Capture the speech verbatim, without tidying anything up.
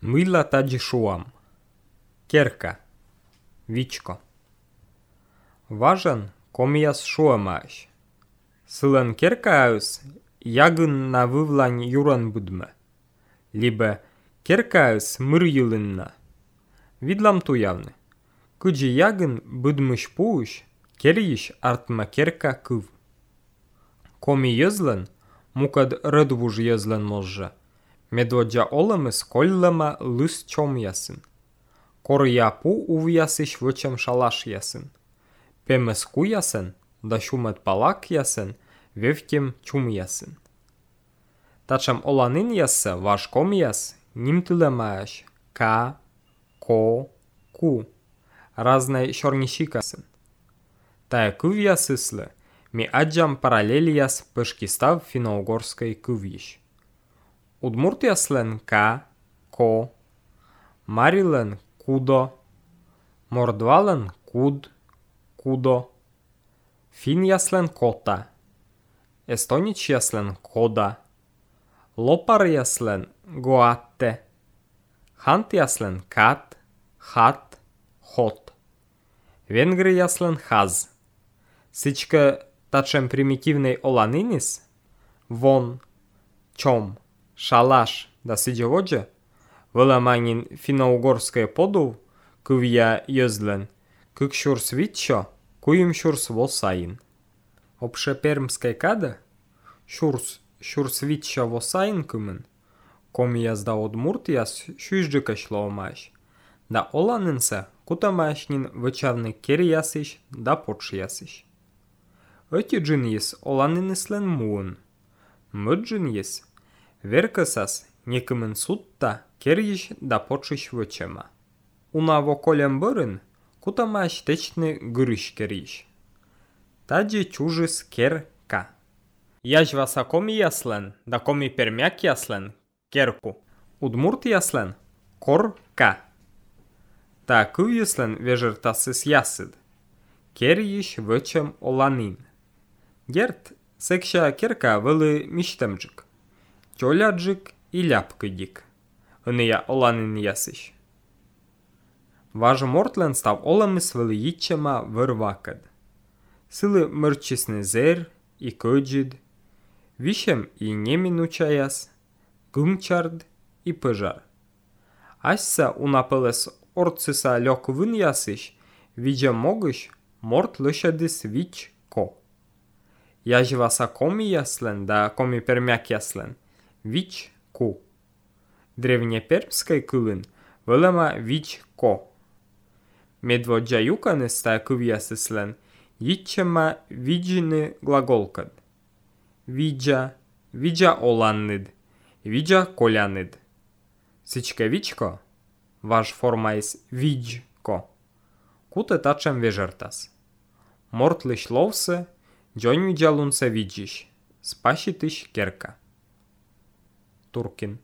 Мила таджи шуам. Керка. Вичко. Важен комияс шуамаш. Сылен керкаус ягын на вывлань юран будме. Либо керкаус мыр юлынна. Видлам туявны. Кыджи ягын будмыш пуш, кериш артма керка кыв. Коми йызлен, мукад рыдвуж йызлен може. Медводжа олемыс коллема лыс чом ясын. Кор япу увясыш вычем шалаш ясын. Пемес ку ясын, да шумет палак ясын, вевкем чум ясын. Тачам оланын ясы ваш ком яс, ним тылемаш, ка, ко, ку. Разные шорнищик ясын. Тая кыв ясыслы, ми аджам параллель яс пышкистав финно-угорской кывьиш. Удмурт яслен ка, ко, марилен кудо, мордвален куд, кудо, фин яслен кота, эстонич яслен кода, лопар яслен гоатте, хант яслен кат, хат, хот, венгр яслен хаз. Сычка тачем примитивный оланинис, вон, чом, шалаш да сидеводжа, выламанин финно-угорское подув, кывья йозлен, кык шурс витчо, куим шурс восаин. Обшепермская када, шурс, шурс витчо восаин кумен, ком язда одмурт яс шуйждыка шлоумаш, да оланинса кутамашнин вычавны кер ясыш да подш ясыш. Эти джин ес оланинислен муын, мыджин ес, веркасас некымен сутта кериш да подшиш вычема. Унаво колем бырын, кутамаш течны гырыш кериш. Таджи чужис кер ка. Яж васа коми яслен, да коми пермяк яслен, керку. Удмурт яслен, кор ка. Та кыв яслен вежертасыс ясыд. Кериш вычем оланин. Герт секша керка вылы миштемджик. Тёляджик и ляпкыдик. Ыния оланин ясыш. Важы мортлен став оламыс вылы итчема вырвакад. Сылы мырчисны зер и көджид. Вишем и неминуча яс. Гымчард и пыжар. Асса унапылыс орцыса лёк вын ясыш. Видя могыш морт лышадыс вич ко. Яжи васа коми яслен, да коми пермяк яслен. Вич ку. Древнепермской кылын вылема вич ко. Медводжа юканы ста кыв ясыслен, итчема виджины глаголкад. Виджа, виджа оланнид, виджа колянид. Сычка вичко, ваш форма из виджко. Куте тачем вежертас. Мортлыш ловсы, джоню джалунса виджиш, спашитыш керка. Туркин.